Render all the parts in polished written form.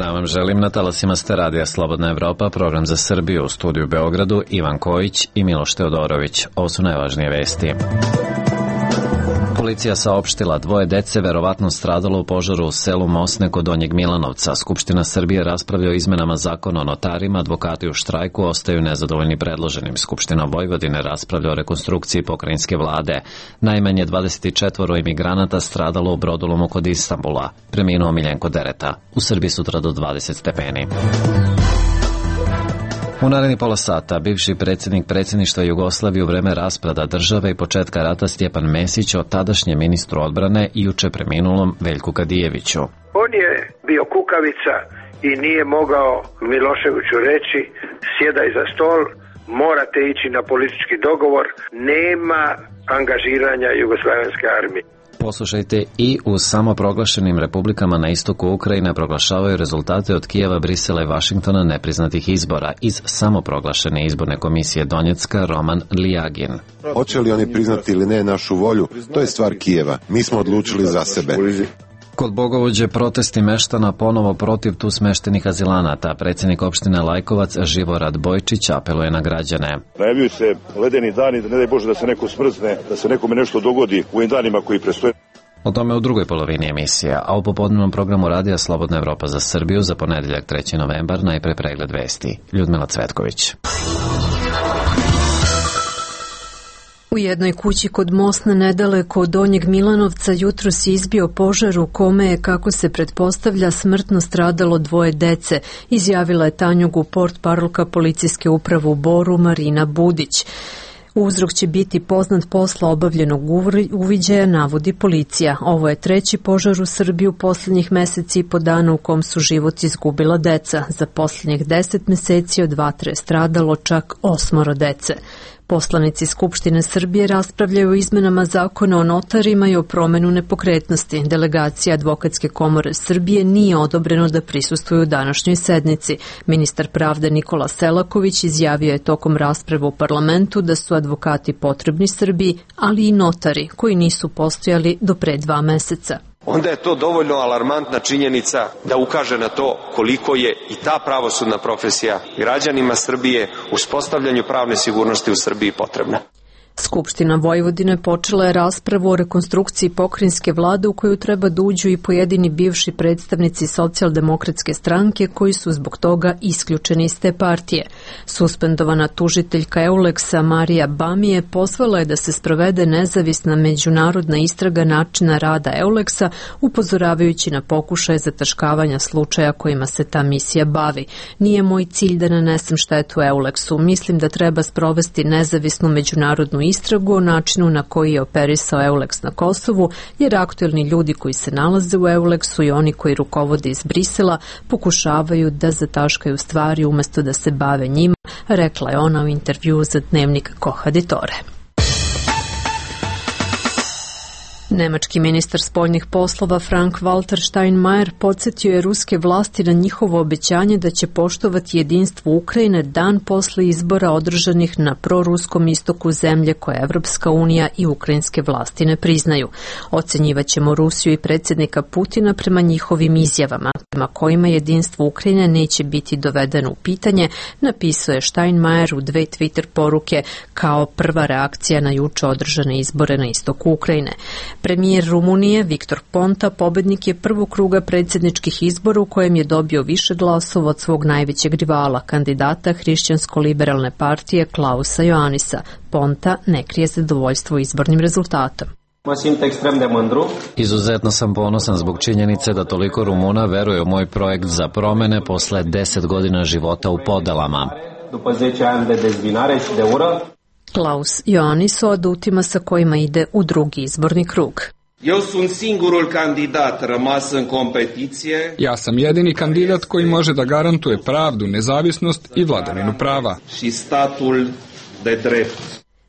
dan vam želim, na talasima ste Radija Slobodna Evropa, program za Srbiju, u studiju u Beogradu, Ivan Kojić i Miloš Teodorović. Ovo su najvažnije vesti. Policija saopštila 2 dece verovatno stradalo u požaru u selu Mosne kod Donjeg Milanovca. Skupština Srbije raspravlja o izmenama zakona o notarima, advokati u štrajku ostaju nezadovoljni predloženim. Skupština Vojvodine raspravlja o rekonstrukciji pokrajinske vlade. Najmanje 24 imigranata stradalo u brodolomu kod Istanbula. Preminuo Miljenko Dereta. U Srbiji sutra do 20 stepeni. U naredni pola sata bivši predsjednik predsjedništva Jugoslavije u vreme raspada države i početka rata Stjepan Mesić o tadašnjem ministru odbrane i juče preminulom Veljku Kadijeviću. On je bio kukavica i nije mogao Miloševiću reći sjedaj za stol, morate ići na politički dogovor, nema angažiranja Jugoslavenske armije. Poslušajte, i u samoproglašenim republikama na istoku Ukrajine proglašavaju rezultate od Kijeva, Brisela i Vašingtona nepriznatih izbora. Iz samoproglašene izborne komisije Donjecka Roman Lijagin. Hoće li oni priznati ili ne našu volju, to je stvar Kijeva. Mi smo odlučili za sebe. Kod Bogovođe protesti meštana ponovo protiv tu smeštenih azilanata. Predsjednik opštine Lajkovac Živorad Bojčić apeluje na građane. Najavljuju se ledeni dani, da ne daj Bože da se neko smrzne, da se nekome nešto dogodi u ovim danima koji prestoje. O tome u drugoj polovini emisija, a u popodnevnom programu Radija Slobodna Evropa za Srbiju za ponedeljak 3. novembar najpre pregled vesti. Ljudmila Cvetković. U jednoj kući kod Mosne nedaleko od Donjeg Milanovca jutros je izbio požar u kome je, kako se pretpostavlja, smrtno stradalo 2 dece, izjavila je Tanjugu portparolka policijske uprave u Boru Marina Budić. Uzrok će biti poznat posle obavljenog uviđaja, navodi policija. Ovo je 3. požar u Srbiji u posljednjih meseci i po dana u kom su život izgubila deca. Za posljednjih 10 meseci od vatre je stradalo čak 8 dece. Poslanici Skupštine Srbije raspravljaju o izmenama zakona o notarima i o promenu nepokretnosti. Delegacija Advokatske komore Srbije nije odobreno da prisustvuju u današnjoj sednici. Ministar pravde Nikola Selaković izjavio je tokom rasprave u parlamentu da su advokati potrebni Srbiji, ali i notari koji nisu postojali do pre 2 meseca. Onda je to dovoljno alarmantna činjenica da ukaže na to koliko je i ta pravosudna profesija građanima Srbije u uspostavljanju pravne sigurnosti u Srbiji potrebna. Skupština Vojvodine počela je raspravu o rekonstrukciji pokrajinske vlade u koju treba da uđu i pojedini bivši predstavnici Socijaldemokratske stranke koji su zbog toga isključeni iz te partije. Suspendovana tužiteljka Euleksa Marija Bamije pozvala je da se sprovede nezavisna međunarodna istraga načina rada Euleksa, upozoravajući na pokušaje zataškavanja slučaja kojima se ta misija bavi. Nije moj cilj da nanesem štetu Euleksu. Mislim da treba sprovesti nezavisnu međunarodnu istragu o načinu na koji je operisao Euleks na Kosovu, jer aktuelni ljudi koji se nalaze u Euleksu i oni koji rukovode iz Brisela pokušavaju da zataškaju stvari umjesto da se bave njima, rekla je ona u intervjuu za dnevnik Koha Ditore. Nemački ministar spoljnih poslova Frank-Walter Steinmeier podsjetio je ruske vlasti na njihovo obećanje da će poštovati jedinstvo Ukrajine dan posle izbora održanih na proruskom istoku zemlje koje Evropska unija i ukrajinske vlasti ne priznaju. Ocenjivaćemo Rusiju i predsjednika Putina prema njihovim izjavama, prema kojima jedinstvo Ukrajine neće biti dovedeno u pitanje, napisao je Steinmeier u 2 Twitter poruke kao prva reakcija na juče održane izbore na istoku Ukrajine. Premijer Rumunije Viktor Ponta pobednik je prvog kruga predsjedničkih izbora u kojem je dobio više glasova od svog najvećeg rivala, kandidata Hrišćansko-liberalne partije Klausa Ioannisa. Ponta ne krije zadovoljstvo izbornim rezultatom. Izuzetno sam ponosan zbog činjenice da toliko Rumuna veruje u moj projekt za promene posle 10 godina života u podelama. Klaus Ioannis o adutima sa kojima ide u drugi izborni krug. Ja sam jedini kandidat koji može da garantuje pravdu, nezavisnost i vladavinu prava.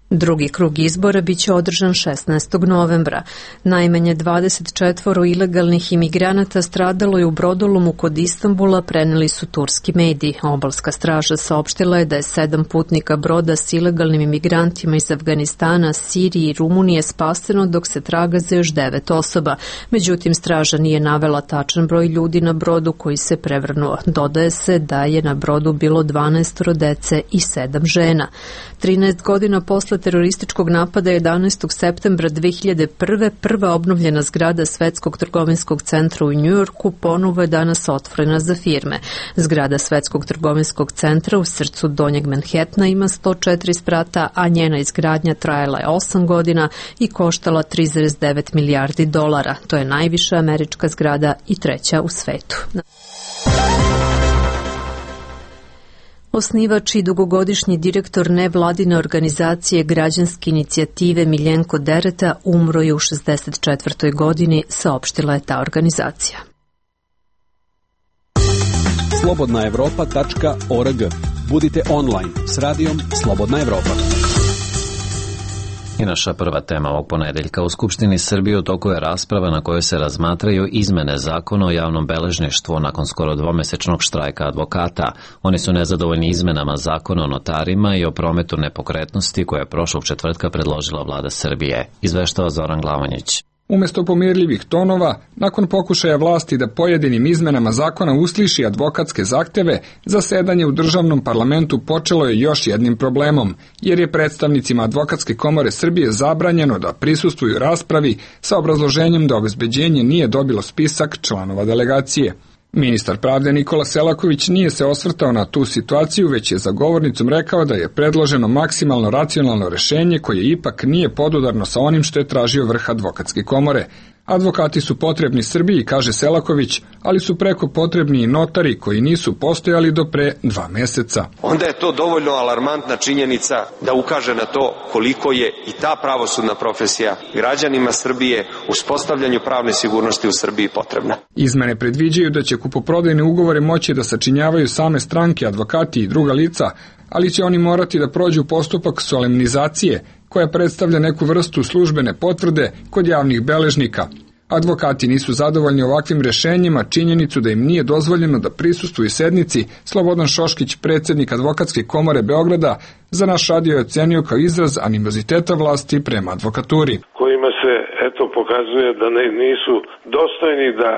Drugi krug izbora biće održan 16. novembra. Najmanje 24 ilegalnih imigranata stradalo je u brodolomu kod Istanbula, preneli su turski mediji. Obalska straža saopštila je da je 7 putnika broda s ilegalnim imigrantima iz Afganistana, Sirije i Rumunije spaseno, dok se traga za još 9 osoba. Međutim, straža nije navela tačan broj ljudi na brodu koji se prevrnuo. Dodaje se da je na brodu bilo 12 dece i 7 žena. 13 godina posle terorističkog napada 11. septembra 2001. prva obnovljena zgrada Svetskog trgovinskog centra u Njujorku ponovo je danas otvorena za firme. Zgrada Svetskog trgovinskog centra u srcu Donjeg Manhattana ima 104 sprata, a njena izgradnja trajala je 8 godina i koštala 3,9 milijardi dolara. To je najviša američka zgrada i treća u svetu. Osnivač i dugogodišnji direktor nevladine organizacije Građanske inicijative Miljenko Dereta umro je u 64. godini, saopštila je ta organizacija. slobodnaevropa.org. Budite online s radijom Slobodna Evropa. I naša prva tema ovog ponedeljka. U Skupštini Srbije u toku je rasprava na kojoj se razmatraju izmene zakona o javnom beležništvu nakon skoro dvomesečnog štrajka advokata. Oni su nezadovoljni izmenama zakona o notarima i o prometu nepokretnosti koje je prošlog četvrtka predložila vlada Srbije. Izveštava Zoran Glavanjić. Umesto pomirljivih tonova, nakon pokušaja vlasti da pojedinim izmenama zakona usliši advokatske zahteve, zasedanje u državnom parlamentu počelo je još jednim problemom, jer je predstavnicima Advokatske komore Srbije zabranjeno da prisustvuju raspravi sa obrazloženjem da obezbeđenje nije dobilo spisak članova delegacije. Ministar pravde Nikola Selaković nije se osvrtao na tu situaciju, već je za govornicom rekao da je predloženo maksimalno racionalno rešenje koje ipak nije podudarno sa onim što je tražio vrh Advokatske komore. Advokati su potrebni Srbiji, kaže Selaković, ali su preko potrebni i notari koji nisu postojali do pre 2 meseca. Onda je to dovoljno alarmantna činjenica da ukaže na to koliko je i ta pravosudna profesija građanima Srbije uspostavljanju pravne sigurnosti u Srbiji potrebna. Izmene predviđaju da će kupoprodajne ugovore moći da sačinjavaju same stranke, advokati i druga lica, ali će oni morati da prođu postupak solemnizacije, koja predstavlja neku vrstu službene potvrde kod javnih beležnika. Advokati nisu zadovoljni ovakvim rešenjima, činjenicu da im nije dozvoljeno da prisustvuju sednici. Slobodan Šoškić, predsjednik Advokatske komore Beograda, za naš radio je ocenio kao izraz animoziteta vlasti prema advokaturi. Kojima se pokazuje da nisu dostojni da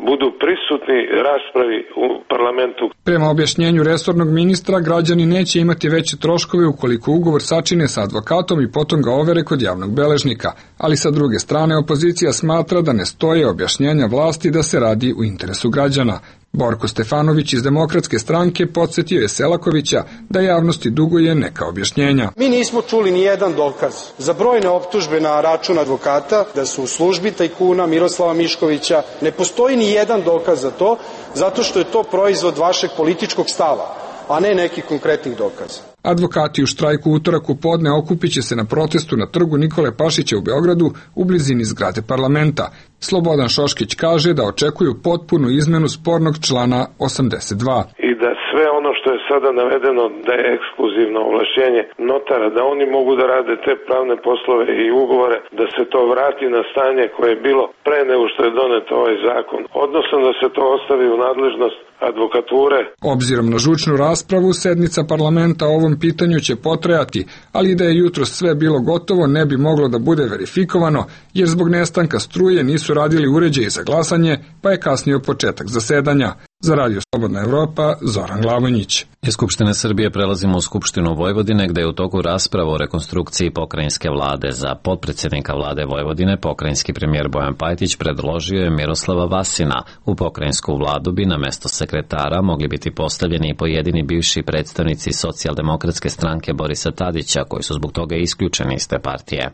budu prisutni raspravi u parlamentu. Prema objašnjenju resornog ministra, građani neće imati veće troškove ukoliko ugovor sačine sa advokatom i potom ga overe kod javnog beležnika. Ali sa druge strane, opozicija smatra da ne stoje objašnjenja vlasti da se radi u interesu građana. Borko Stefanović iz Demokratske stranke podsjetio je Selakovića da javnosti duguje neka objašnjenja. Mi nismo čuli ni jedan dokaz za brojne optužbe na račun advokata da su u službi tajkuna Miroslava Miškovića. Ne postoji ni jedan dokaz za to, zato što je to proizvod vašeg političkog stava, a ne nekih konkretnih dokaza. Advokati u štrajku u utorak u podne okupit će se na protestu na trgu Nikole Pašića u Beogradu u blizini zgrade parlamenta. Slobodan Šoškić kaže da očekuju potpunu izmenu spornog člana 82. I da sve ono što je sada navedeno da je ekskluzivno ovlašćenje notara, da oni mogu da rade te pravne poslove i ugovore, da se to vrati na stanje koje je bilo pre nego što je donet ovaj zakon, odnosno da se to ostavi u nadležnost advokature. Obzirom na žučnu raspravu, sednica parlamenta o ovom pitanju će potrajati, ali da je jutros sve bilo gotovo ne bi moglo da bude verifikovano, jer zbog nestanka struje nisu radili uređaji za glasanje, pa je kasnio početak zasedanja. Za Radio Slobodna Evropa, Zoran Glavanjić. Iz Skupštine Srbije prelazimo u Skupštinu Vojvodine, gde je u toku rasprava o rekonstrukciji pokrajinske vlade. Za potpredsjednika vlade Vojvodine, pokrajinski premijer Bojan Pajtić predložio je Miroslava Vasina. U pokrajinsku vladu bi na mesto sekretara mogli biti postavljeni i pojedini bivši predstavnici Socijaldemokratske stranke Borisa Tadića, koji su zbog toga isključeni iz te partije.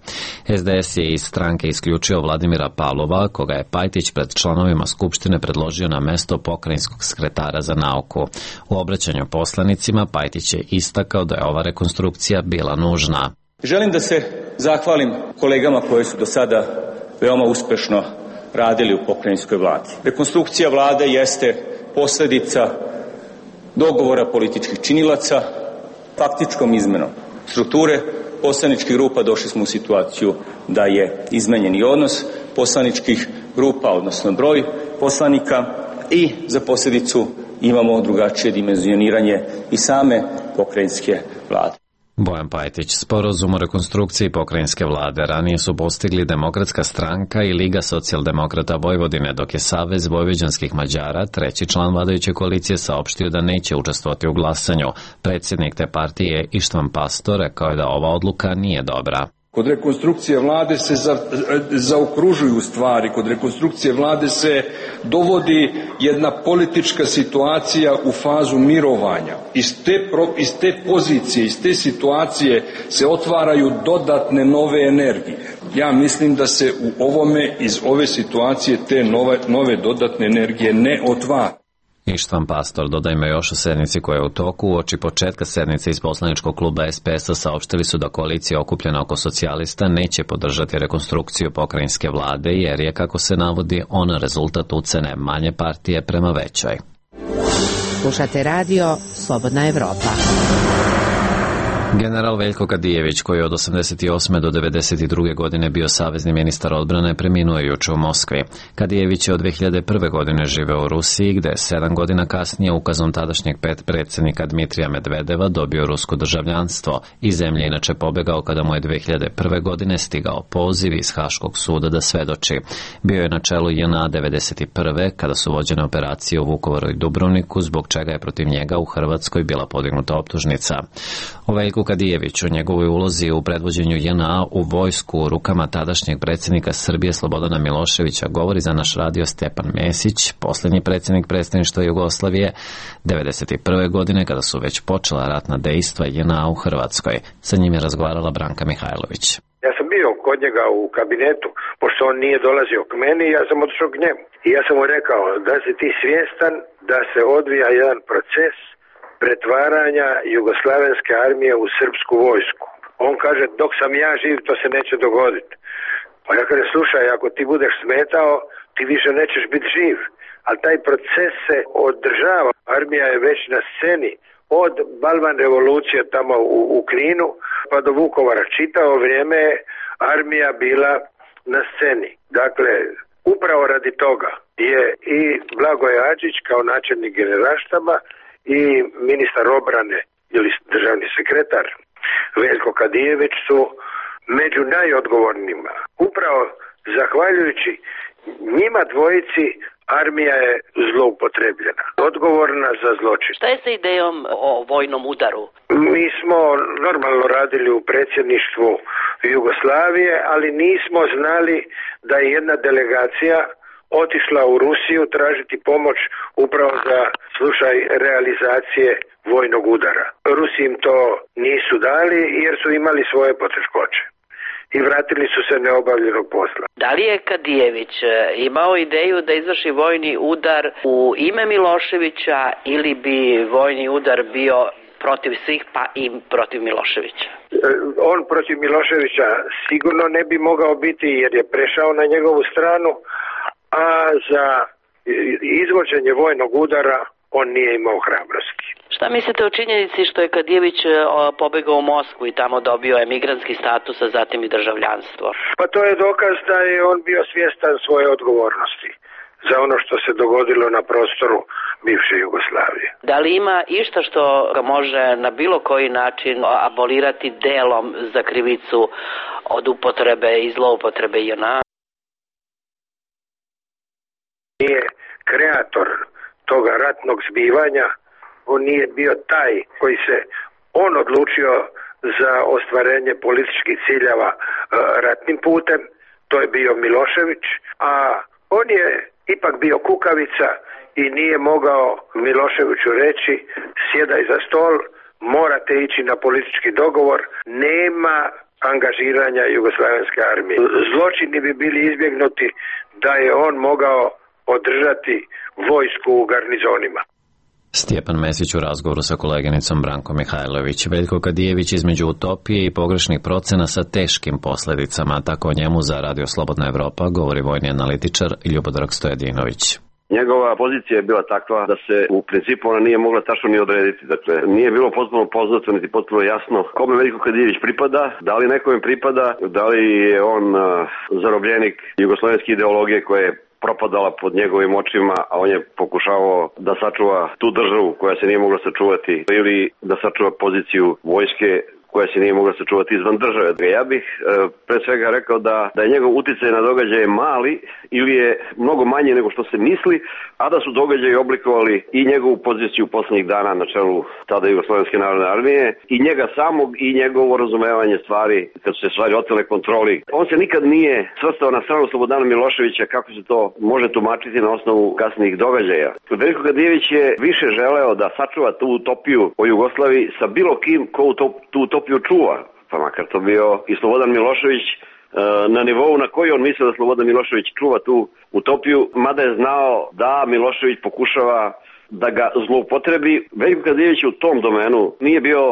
SDS je iz stranke isključio Vladimira Pavlova, koga je Pajtić pred članovima Skupštine predložio na mesto pokrajinskog sekretara za nauku. U obraćanju poslanicima Pajtić je istakao da je ova rekonstrukcija bila nužna. Želim da se zahvalim kolegama koji su do sada veoma uspešno radili u pokrajinskoj vladi. Rekonstrukcija vlade jeste posledica dogovora političkih činilaca, faktičkom izmenom strukture poslaničkih grupa došli smo u situaciju da je izmenjeni odnos poslaničkih grupa, odnosno broj poslanika, i za posljedicu imamo drugačije dimenzioniranje i same pokrajinske vlade. Bojan Pajtić. Sporazum o rekonstrukciji pokrajinske vlade ranije su postigli Demokratska stranka i Liga socijaldemokrata Vojvodine, dok je Savez vojvođanskih Mađara, treći član vladajuće koalicije, saopštio da neće učestvovati u glasanju. Predsjednik te partije Ištvan Pastor rekao je da ova odluka nije dobra. Kod rekonstrukcije vlade se zaokružuju stvari, kod rekonstrukcije vlade se dovodi jedna politička situacija u fazu mirovanja. Iz te pozicije, iz te situacije se otvaraju dodatne nove energije. Ja mislim da se u ovome, iz ove situacije, te nove dodatne energije ne otvara. Ištvan Pastor dodajmo još o sednici koja je u toku. Uoči početka sednice iz poslaničkog kluba SPS-a saopštili su da koalicija okupljena oko socijalista neće podržati rekonstrukciju pokrajinske vlade, jer je, kako se navodi, ona rezultat ucene manje partije prema većoj. Slušate radio Slobodna Evropa. General Veljko Kadijević, koji je od 88. do 92. godine bio savezni ministar odbrane, preminuo je juče u Moskvi. Kadijević je od 2001. godine živeo u Rusiji, gde je 7 godina kasnije ukazom tadašnjeg predsjednika Dmitrija Medvedeva dobio rusko državljanstvo. Iz zemlje inače pobegao kada mu je 2001. godine stigao poziv iz Haškog suda da svedoči. Bio je na čelu JNA 91. kada su vođene operacije u Vukovaru i Dubrovniku, zbog čega je protiv njega u Hrvatskoj bila podignuta optužnica. O Veljku Kadijeviću, njegovoj ulozi u predvođenju JNA u vojsku u rukama tadašnjeg predsjednika Srbije Slobodana Miloševića govori za naš radio Stjepan Mesić, posljednji predsjednik predstavništva Jugoslavije 1991. godine, kada su već počela ratna dejstva JNA u Hrvatskoj. Sa njim je razgovarala Branka Mihajlović. Ja sam bio kod njega u kabinetu, pošto on nije dolazio k meni, ja sam otišao k njemu. I ja sam mu rekao da si ti svjestan da se odvija jedan proces pretvaranja jugoslavenske armije u srpsku vojsku. On kaže, dok sam ja živ, to se neće dogoditi. Pa ja kaže, slušaj, ako ti budeš smetao, ti više nećeš biti živ. Ali taj proces se održava. Armija je već na sceni od Balvan revolucije tamo u Kninu pa do Vukovara. Čitavo vrijeme je armija bila na sceni. Dakle, upravo radi toga je i Blagoje Adžić kao načelnik generalštaba i ministar obrane ili državni sekretar Veljko Kadijević su među najodgovornijima. Upravo zahvaljujući njima dvojici armija je zloupotrebljena, odgovorna za zločin. Šta je sa idejom o vojnom udaru? Mi smo normalno radili u predsjedništvu Jugoslavije, ali nismo znali da je jedna delegacija otišla u Rusiju tražiti pomoć upravo za slučaj realizacije vojnog udara. Rusi im to nisu dali jer su imali svoje poteškoće i vratili su se neobavljenog posla. Da li je Kadijević imao ideju da izvrši vojni udar u ime Miloševića ili bi vojni udar bio protiv svih pa i protiv Miloševića? On protiv Miloševića sigurno ne bi mogao biti jer je prešao na njegovu stranu, a za izvođenje vojnog udara on nije imao hrabrosti. Šta mislite o činjenici što je Kadijević pobegao u Moskvu i tamo dobio emigrantski status, a zatim i državljanstvo? Pa to je dokaz da je on bio svjestan svoje odgovornosti za ono što se dogodilo na prostoru bivše Jugoslavije. Da li ima išta što ga može na bilo koji način abolirati delom za krivicu od upotrebe i zloupotrebe JNA? Nije kreator toga ratnog zbivanja, on nije bio taj koji se on odlučio za ostvarenje političkih ciljeva ratnim putem, to je bio Milošević, a on je ipak bio kukavica i nije mogao Miloševiću reći sjedaj za stol, morate ići na politički dogovor, nema angažiranja jugoslavenske armije. Zločini bi bili izbjegnuti da je on mogao održati vojsku u garnizonima. Stjepan Mesić u razgovoru sa koleginicom Branko Mihajlović. Veljko Kadijević između utopije i pogrešnih procena sa teškim posljedicama, tako o njemu za Radio Slobodna Evropa govori vojni analitičar Ljubodrag Stojadinović. Njegova pozicija je bila takva da se u principu ona nije mogla tačno ni odrediti. Dakle, nije bilo potpuno poznato niti potpuno jasno kome Veljko Kadijević pripada, da li nekome pripada, da li je on zarobljenik jugoslovenske ideologije koja je propadala pod njegovim očima, a on je pokušavao da sačuva tu državu koja se nije mogla sačuvati ili da sačuva poziciju vojske koja se nije mogla sačuvati izvan države. Ja bih pre svega rekao da je njegov uticaj na događaje mali ili je mnogo manje nego što se misli, a da su događaji oblikovali i njegovu poziciju poslednjih dana na čelu tada Jugoslovenske narodne armije i njega samog i njegovo razumevanje stvari kad su se stvari otele kontroli. On se nikad nije svrstao na stranu Slobodana Miloševića kako se to može tumačiti na osnovu kasnijih događaja. Veljko Kadijević je više želeo da sačuva tu utopiju o Jugoslaviji sa bilo kim ko tu utopiju čuva, pa makar to bio i Slobodan Milošević na nivou na koji on misle da Slobodan Milošević čuva tu utopiju, mada je znao da Milošević pokušava da ga zloupotrebi. Veljko Kadijević u tom domenu nije bio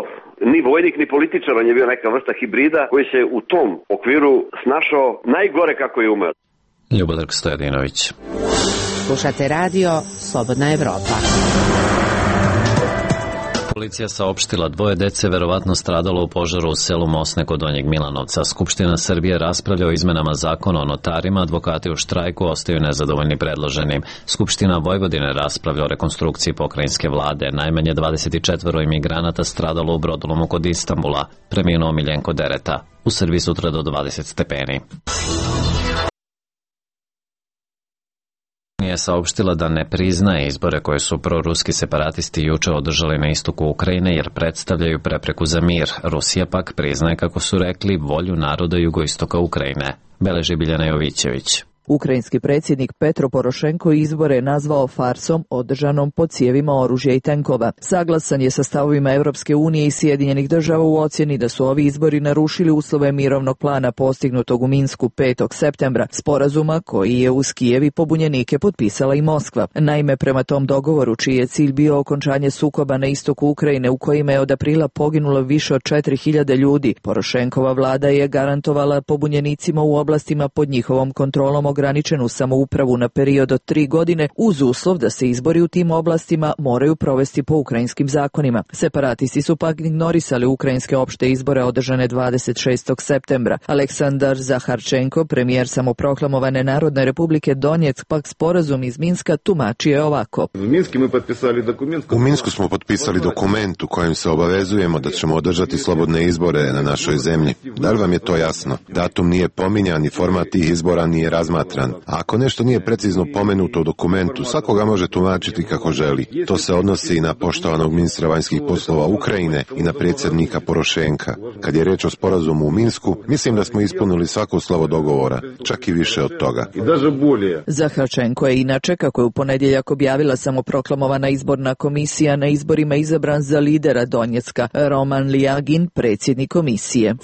ni vojnik ni političar, on je bio neka vrsta hibrida koji se u tom okviru snašao najgore kako je umeo. Ljubodrag Stojadinović. Slušate radio Slobodna Evropa. Policija saopštila 2 dece verovatno stradalo u požaru u selu Mosne kod Donjeg Milanovca. Skupština Srbije raspravlja o izmenama zakona o notarima, advokati u štrajku ostaju nezadovoljni predloženim. Skupština Vojvodine raspravlja o rekonstrukciji pokrajinske vlade. Najmanje 24 imigranata stradalo u brodolomu kod Istanbula. Preminuo Miljenko Dereta. U Srbiji sutra do 20 stepeni. Je saopštila da ne priznaje izbore koje su proruski separatisti juče održali na istoku Ukrajine jer predstavljaju prepreku za mir. Rusija pak priznaje, kako su rekli, volju naroda jugoistoka Ukrajine. Beleži Biljana Jovićević. Ukrajinski predsjednik Petro Porošenko izbore je nazvao farsom održanom pod cijevima oružja i tenkova. Saglasan je sa stavovima Evropske unije i Sjedinjenih država u ocjeni da su ovi izbori narušili uslove mirovnog plana postignutog u Minsku 5. septembra, sporazuma koji je uz Kijev i pobunjenike potpisala i Moskva. Naime, prema tom dogovoru, čiji je cilj bio okončanje sukoba na istoku Ukrajine u kojima je od aprila poginulo više od 4000 ljudi, Porošenkova vlada je garantovala pobunjenicima u oblastima pod njihovom kontrolom ograničenu samoupravu na period od 3 godine uz uslov da se izbori u tim oblastima moraju provesti po ukrajinskim zakonima. Separatisti su pak ignorisali ukrajinske opšte izbore održane 26. septembra. Aleksandar Zaharčenko, premijer samoproklamovane Narodne republike Donjeck, pak sporazum iz Minska tumačio je ovako. U Minsku smo potpisali dokument u kojem se obavezujemo da ćemo održati slobodne izbore na našoj zemlji. Da li vam je to jasno? Datum nije pominjan i format tih izbora nije razmatran. A ako nešto nije precizno pomenuto u dokumentu, svakoga može tumačiti kako želi. To se odnosi i na poštovanog ministra vanjskih poslova Ukrajine i na predsjednika Porošenka. Kad je reč o sporazumu u Minsku, mislim da smo ispunili svako slovo dogovora, čak i više od toga. Zaharčenko je inače, kako je u ponedjeljak objavila samoproklamovana izborna komisija, na izborima izabran za lidera Donjecka. Roman Lijagin, predsjednik komisije.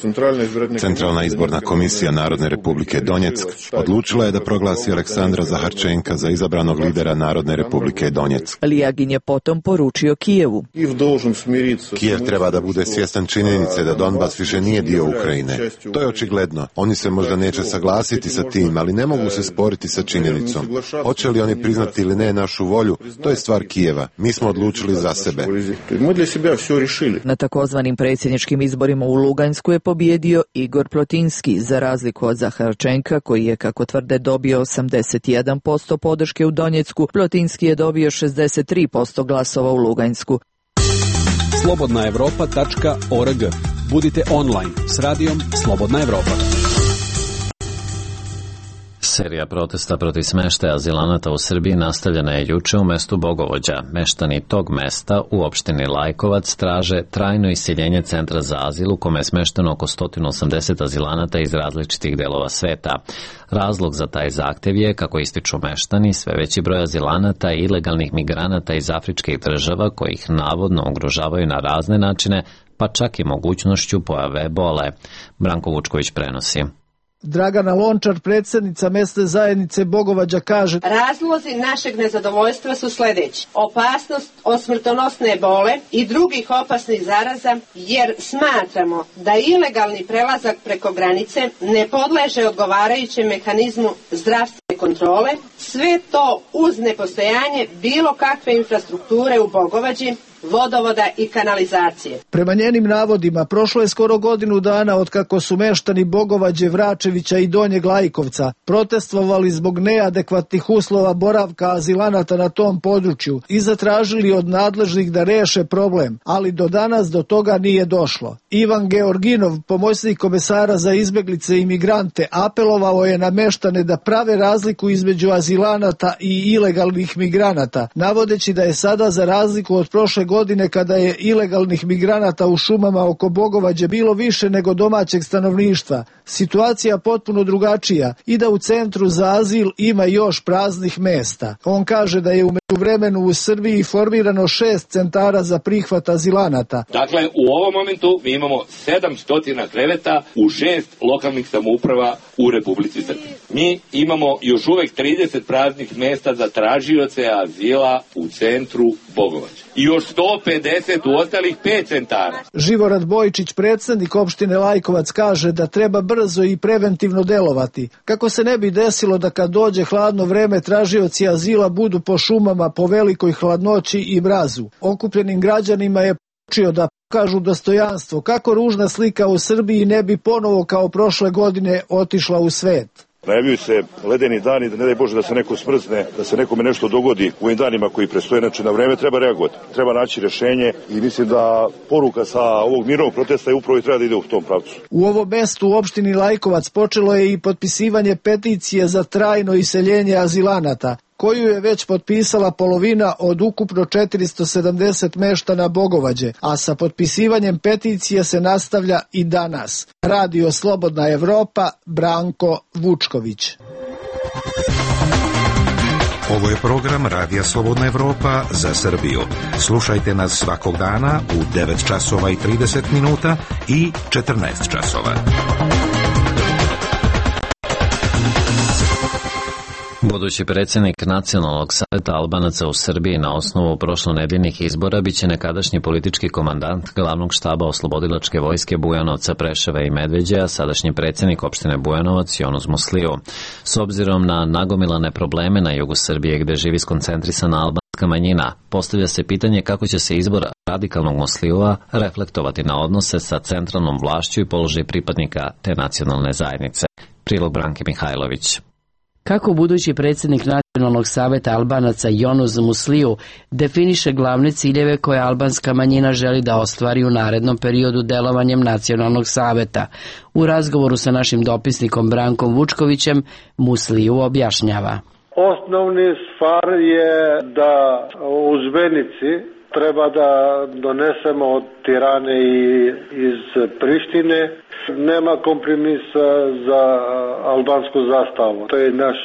Centralna izborna komisija Narodne republike Donjeck odlučila je da proglasi Aleksandra Zaharčenka za izabranog lidera Narodne republike Donjeck. Lijagin je potom poručio Kijevu. Kijev treba da bude svjestan činjenice da Donbas više nije dio Ukrajine. To je očigledno. Oni se možda neće saglasiti sa tim, ali ne mogu se sporiti sa činjenicom. Hoće li oni priznati ili ne našu volju, to je stvar Kijeva. Mi smo odlučili za sebe. Na takozvanim predsjedničkim izborima u Lugansku je pobjedio Igor Plotinski, za razliku od Zaharčenka, koji je, kako tvrde, dobio 81% podrške u Donjecku. Plotinski je dobio 63% glasova u Lugansku. slobodnaevropa.org. Budite online s radijom Slobodna Evropa. Serija protesta protiv smeštaja azilanata u Srbiji nastavljena je juče u mestu Bogovođa. Meštani tog mesta u opštini Lajkovac traže trajno iseljenje centra za azil u kome je smešteno oko 180 azilanata iz različitih delova sveta. Razlog za taj zahtev je, kako ističu meštani, sve veći broj azilanata i ilegalnih migranata iz afričkih država koji ih navodno ugrožavaju na razne načine, pa čak i mogućnošću pojave ebole. Branko Vučković prenosi. Dragana Lončar, predsjednica mesne zajednice Bogovađa, kaže: Razlozi našeg nezadovoljstva su sljedeći: opasnost od smrtonosne ebole i drugih opasnih zaraza, jer smatramo da ilegalni prelazak preko granice ne podleže odgovarajućem mehanizmu zdravstvene kontrole, sve to uz nepostojanje bilo kakve infrastrukture u Bogovađi, vodovoda i kanalizacije. Prema njenim navodima, prošlo je skoro godinu dana od kako su meštani Bogovađe, Vračevića i Donjeg Lajkovca protestvovali zbog neadekvatnih uslova boravka azilanata na tom području i zatražili od nadležnih da reše problem, ali do danas do toga nije došlo. Ivan Georginov, pomoćnik komesara za izbeglice i migrante, apelovao je na meštane da prave razliku između azilanata i ilegalnih migranata, navodeći da je sada za razliku od prošle godine kada je ilegalnih migranata u šumama oko Bogovađe bilo više nego domaćeg stanovništva, situacija potpuno drugačija i da u centru za azil ima još praznih mesta. On kaže da je u međuvremenu u Srbiji formirano 6 centara za prihvat azilanata. Dakle, u ovom momentu mi imamo 700 kreveta u 6 lokalnih samouprava u Republici Srbiji. Mi imamo još uvek 30 praznih mesta za tražioce azila u centru Bogovađa. I još 150 u ostalih 5 centara. Živorad Bojčić, predsjednik opštine Lajkovac, kaže da treba brzo i preventivno delovati, kako se ne bi desilo da kad dođe hladno vreme tražioci azila budu po šumama po velikoj hladnoći i mrazu. Okupljenim građanima je poručio da pokažu dostojanstvo, kako ružna slika u Srbiji ne bi ponovo kao prošle godine otišla u svet. Najavljuju se ledeni dani, da ne daj Bože da se neko smrzne, da se nekome nešto dogodi u ovim danima koji predstoje. Znači na vreme treba reagovati, treba naći rješenje i mislim da poruka sa ovog mirovnog protesta je upravo i treba da ide u tom pravcu. U ovom mestu u opštini Lajkovac počelo je i potpisivanje peticije za trajno iseljenje azilanata, koju je već potpisala polovina od ukupno 470 meštana Bogovađe, a sa potpisivanjem peticije se nastavlja i danas. Radio Slobodna Evropa, Branko Vučković. Ovo je program Radija Slobodna Evropa za Srbiju. Slušajte nas svakog dana u 9 časova i 30 minuta i 14 časova. Budući predsjednik Nacionalnog saveta Albanaca u Srbiji na osnovu prošlonedeljnih izbora biće nekadašnji politički komandant glavnog štaba oslobodilačke vojske Bujanovca, Preševa i Medveđe, a sadašnji predsjednik opštine Bujanovac Jonuz Musliju. S obzirom na nagomilane probleme na jugu Srbije gde živi skoncentrisana albanska manjina, postavlja se pitanje kako će se izbor radikalnog Muslijua reflektovati na odnose sa centralnom vlašću i položaj pripadnika te nacionalne zajednice. Prilog Branke Mihajlović. Kako budući predsjednik Nacionalnog saveta Albanaca Jonuz Musliju definiše glavne ciljeve koje albanska manjina želi da ostvari u narednom periodu delovanjem Nacionalnog saveta? U razgovoru sa našim dopisnikom Brankom Vučkovićem Musliju objašnjava. Osnovni stvar je da u zvenici treba da donesemo od Tirane i iz Prištine. Nema kompromisa za albansku zastavu. To je naš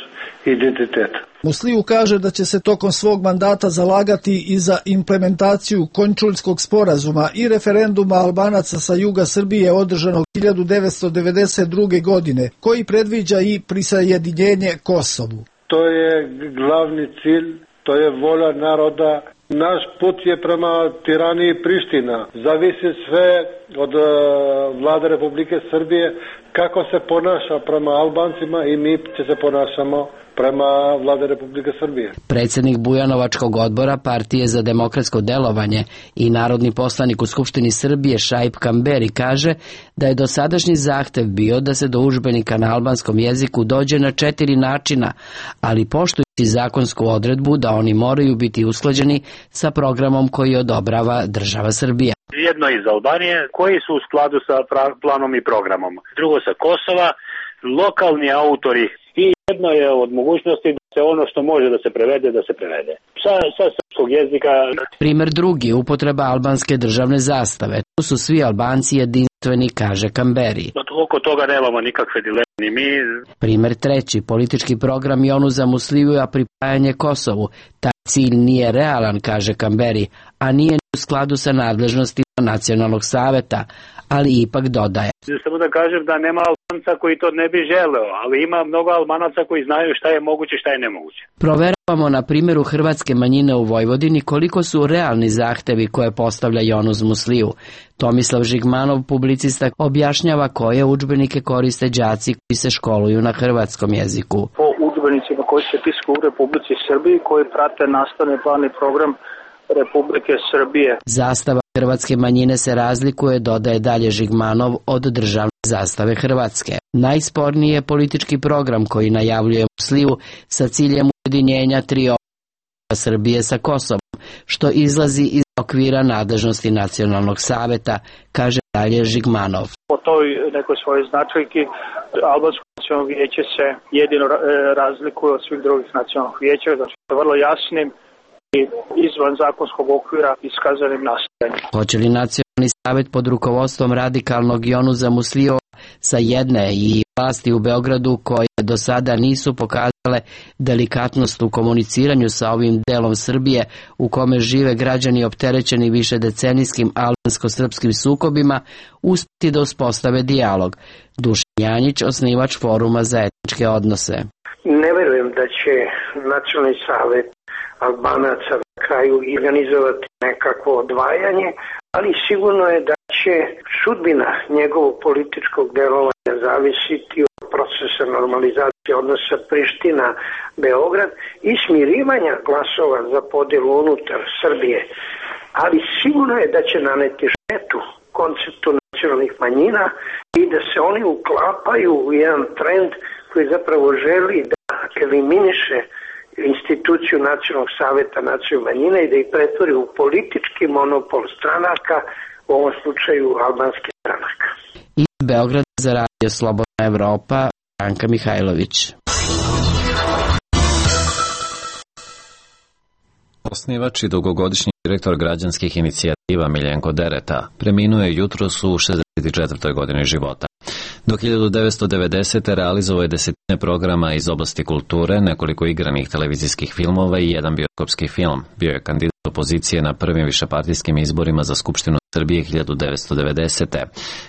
identitet. Musliju kaže da će se tokom svog mandata zalagati i za implementaciju Končuljskog sporazuma i referenduma Albanaca sa juga Srbije održanog 1992. godine, koji predviđa i prisajedinjenje Kosovu. To je glavni cilj, to je volja naroda. Naš put je prema Tirani i Priština. Zavisi sve od vlade Republike Srbije kako se ponaša prema Albancima i mi će se ponašamo prema vlade Republike Srbije. Predsjednik Bujanovačkog odbora Partije za demokratsko delovanje i narodni poslanik u Skupštini Srbije Šaip Kamberi kaže da je dosadašnji zahtev bio da se do udžbenika na albanskom jeziku dođe na 4 načina, ali poštujući zakonsku odredbu da oni moraju biti usklađeni sa programom koji odobrava država Srbija. Jedno iz Albanije koji su u skladu sa planom i programom. Drugo sa Kosova, lokalni autori. I jedno je od mogućnosti da se ono što može da se prevede, da se prevede. Sa srpskog jezika. Primer drugi, upotreba albanske državne zastave. Tu su svi Albanci jedinstveni, kaže Kamberi. Oko toga nemamo nikakve dileme ni mi. Primer treći, politički program Jonuza Muslija pripajanje Kosovu. Taj cilj nije realan, kaže Kamberi, a nije u skladu sa nadležnostima Nacionalnog saveta, ali ipak dodaje. Samo da kažem da nema Albanca koji to ne bi želeo, ali ima mnogo Albanaca koji znaju šta je moguće i šta je nemoguće. Proveravamo na primjeru hrvatske manjine u Vojvodini koliko su realni zahtevi koje postavlja Jonuz Musliju. Tomislav Žigmanov, publicista, objašnjava koje udžbenike koriste đaci koji se školuju na hrvatskom jeziku. Po udžbenicima koji koji se tiskaju u Republici Srbiji, koji prate nastavni plan i program Republike Srbije. Zastava hrvatske manjine se razlikuje, dodaje dalje Žigmanov, od državne zastave Hrvatske. Najsporniji je politički program koji najavljuje Musliju sa ciljem ujedinjenja tri Srbije sa Kosovom, što izlazi iz okvira nadležnosti Nacionalnog saveta, kaže dalje Žigmanov. Po toj nekoj svojoj značajki Albansko nacionalno vijeće se jedino razlikuje od svih drugih nacionalnih vijeća, znači vrlo jasnim i izvan zakonskog okvira iskazanim nastojanjem. Hoće li Nacionalni savet pod rukovodstvom radikalnog Jonusa Muslijova sa jedne i vlasti u Beogradu koje do sada nisu pokazale delikatnost u komuniciranju sa ovim delom Srbije u kome žive građani opterećeni višedecenijskim albansko-srpskim sukobima, uspjeti da uspostave dijalog. Dušan Janjić, osnivač Foruma za etničke odnose. Ne verujem da će Nacionalni savet Albanaca na kraju organizovati nekakvo odvajanje, ali sigurno je da će sudbina njegovog političkog delovanja zavisiti od procesa normalizacije odnosa Priština-Beograd i smirivanja glasova za podelu unutar Srbije. Ali sigurno je da će naneti štetu konceptu nacionalnih manjina i da se oni uklapaju u jedan trend koji zapravo želi da eliminiše instituciju Nacionalnog saveta nacionalnih manjina i da ih pretvori u politički monopol stranaka, u ovom slučaju albanskih stranaka. Iz Beograda za Radio Slobodna Evropa, Branka Mihajlović. Osnivač i dugogodišnji direktor građanskih inicijativa Miljenko Dereta preminuo je jutros u 64. godini života. Do 1990. realizovao je desetine programa iz oblasti kulture, nekoliko igranih televizijskih filmova i jedan bioskopski film. Bio je kandidat opozicije na prvim višepartijskim izborima za Skupštinu Srbije 1990.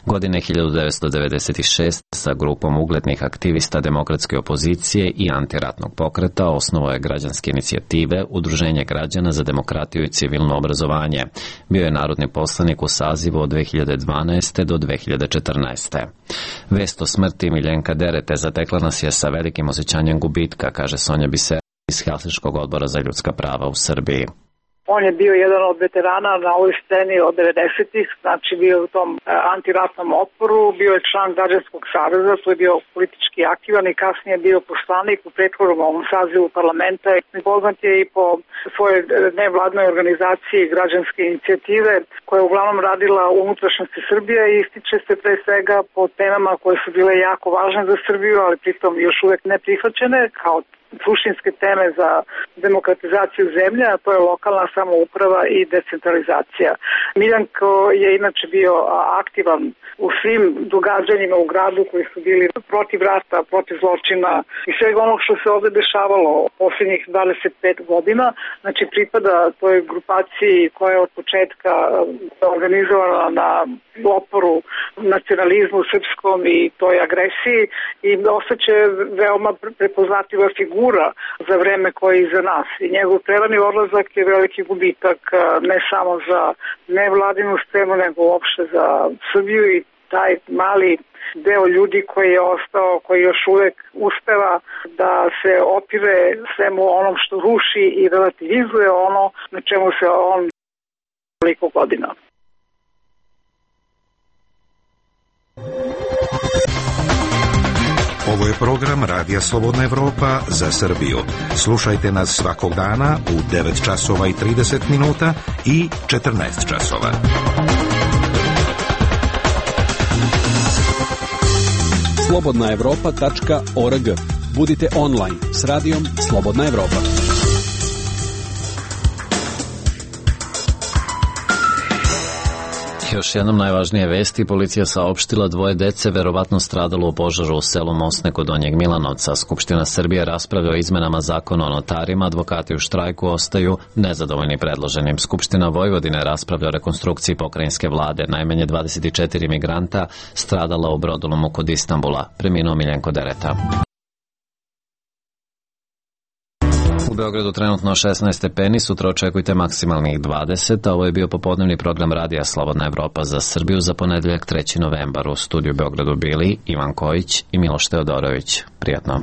Godine 1996. sa grupom uglednih aktivista demokratske opozicije i antiratnog pokreta osnovao je građanske inicijative Udruženje građana za demokratiju i civilno obrazovanje. Bio je narodni poslanik u sazivu od 2012. do 2014. Vest o smrti Miljenka Derete zatekla nas je sa velikim osjećanjem gubitka, kaže Sonja Biser iz Helsinškog odbora za ljudska prava u Srbiji. On je bio jedan od veterana na ovoj sceni od 90-ih, znači bio u tom antiratnom otporu, bio je član Građanskog saveza, tu je bio politički aktivan i kasnije bio poslanik u prethodnom ovom sazivu parlamenta. Poznat je i po svojoj nevladnoj organizaciji građanske inicijative koja je uglavnom radila u unutrašnjosti Srbije i ističe se pre svega po temama koje su bile jako važne za Srbiju, ali pritom još uvek ne prihvaćene kao suštinske teme za demokratizaciju zemlje, a to je lokalna samouprava i decentralizacija. Miljanko je inače bio aktivan u svim događanjima u gradu koji su bili protiv rata, protiv zločina i svega onog što se ovde dešavalo posljednjih 25 godina. Znači pripada toj grupaciji koja je od početka organizovana na oporu nacionalizmu srpskom i toj agresiji i ostaće veoma prepoznatljiva figura za vreme koje je iza nas. I njegov prerani odlazak je veliki gubitak ne samo za nevladinu scenu, nego uopšte za Srbiju i taj mali deo ljudi koji je ostao, koji još uvek uspeva da se opire svemu onom što ruši i relativizuje ono na čemu se on toliko godina. Ovo je program Radija Slobodna Evropa za Srbiju. Slušajte nas svakog dana u 9 časova i 30 minuta i 14 časova. slobodnaevropa.org. Budite online s radijom Slobodna Evropa. Još jednom najvažnije vesti, policija saopštila 2 dece verovatno stradalo u požaru u selu Mosne kod Donjeg Milanovca. Skupština Srbije raspravlja o izmenama zakona o notarima, advokati u štrajku ostaju nezadovoljni predloženim. Skupština Vojvodine raspravlja o rekonstrukciji pokrajinske vlade. Najmanje 24 migranta stradala u brodolomu kod Istanbula. Preminuo Miljenko Dereta. U Beogradu trenutno 16 stepeni, sutra očekujte maksimalnih 20, a ovo je bio popodnevni program Radija Slobodna Evropa za Srbiju za ponedeljak 3. novembar. U studiju Beogradu bili Ivan Kojić i Miloš Teodorović. Prijatno.